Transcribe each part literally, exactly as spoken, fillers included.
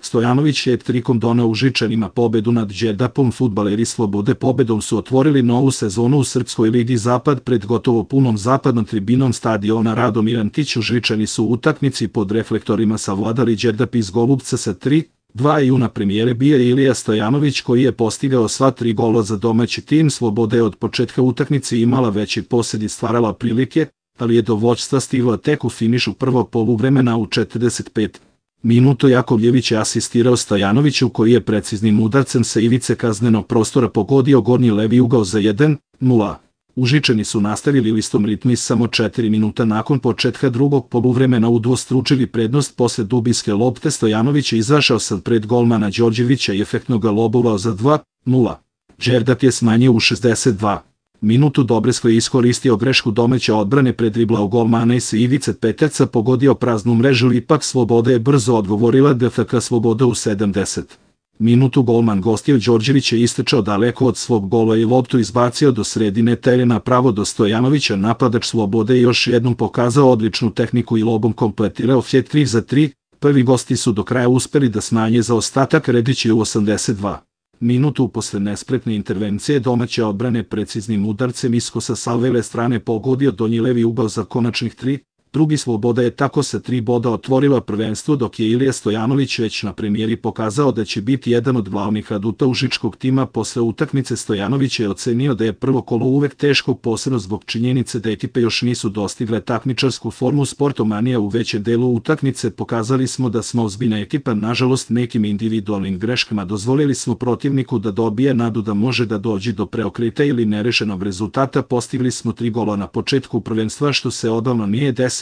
Stojanović je trikom doneo Užičanima pobedu nad Đerdapom. Fudbaleri Slobode pobedom su otvorili novu sezonu u Srpskoj ligi Zapad pred gotovo punom zapadnom tribinom stadiona Radomir Antić. Užičani su u utakmici pod reflektorima savladali Đerdap iz Golubca sa tri dva. Juna premijere bio je Ilija Stojanović koji je postigao sva tri gola za domaći tim. Sloboda je od početka utakmice imala veći posed i stvarala prilike, ali je do vođstva stigla tek u finišu prvog poluvremena u četrdeset pet minutu. Jakovljević je asistirao Stojanoviću koji je preciznim udarcem sa ivice kaznenog prostora pogodio gornji levi ugao za jedan nula. Užičani su nastavili u istom ritmu i samo četiri minuta nakon početka drugog poluvremena udvostručili prednost posle dubinske lopte. Stojanović je izašao sad pred golmana Đorđevića i efektno ga lobovao za dva nula. Đerdap je smanjio u šezdeset dva minutu. Dobresko je iskoristio grešku domaće odbrane, predriblao golmana i sa ivice peterca pogodio praznu mrežu. Ipak Sloboda je brzo odgovorila. D F K Sloboda u sedamdeset minutu golman gostiju Đorđević je istrčao daleko od svog gola i loptu izbacio do sredine terena pravo do Stojanovića. Napadač Slobode je još jednom pokazao odličnu tehniku i lobom kompletirao hat-trick za tri. Prvi gosti su do kraja uspeli da smanje zaostatak. Redić je u osamdeset dva minutu posle nespretne intervencije domaće odbrane preciznim udarcem iskosa sa leve strane pogodio donji levi ugao za konačnih tri. Drugi. Sloboda je tako sa tri boda otvorila prvenstvo, dok je Ilija Stojanović već na premijeri pokazao da će biti jedan od glavnih aduta užičkog tima. Posle utakmice Stojanović je ocenio da je prvo kolo uvek teško, posebno zbog činjenice da ekipe još nisu dostigle takmičarsku formu. Sportomanija u većem delu utakmice pokazali smo da smo ozbiljna ekipa. Nažalost, nekim individualnim greškama dozvolili smo protivniku da dobije nadu da može da dođe do preokreta ili nerešenog rezultata. Postigli smo tri gola na početku prvenstva, što se odavno nije desilo,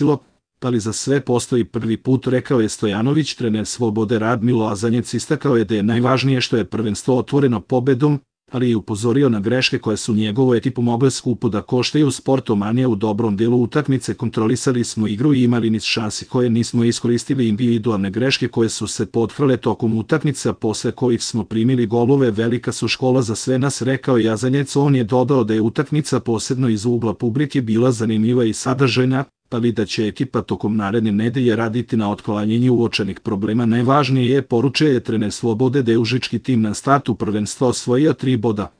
ali za sve postoji prvi put, rekao je Stojanović. Trener Slobode Radmilo Azanjec istakao je da je najvažnije što je prvenstvo otvoreno pobedom, ali je upozorio na greške koje su njegovu ekipu mogle skupo da koštaju. Sportomanija u dobrom delu utakmice kontrolisali smo igru i imali niz šansi koje nismo iskoristili. Individualne greške koje su se potkrale tokom utakmica posle kojih smo primili golove velika su škola za sve nas, rekao je Azanjec. On je dodao da je utakmica posebno iz ugla publike bila zanimljiva i sadržajna, ali da će ekipa tokom naredne nedelje raditi na otklanjanju uočenih problema. Najvažnije je, poručio je trener Slobode, da je užički tim na startu prvenstva osvojio tri boda.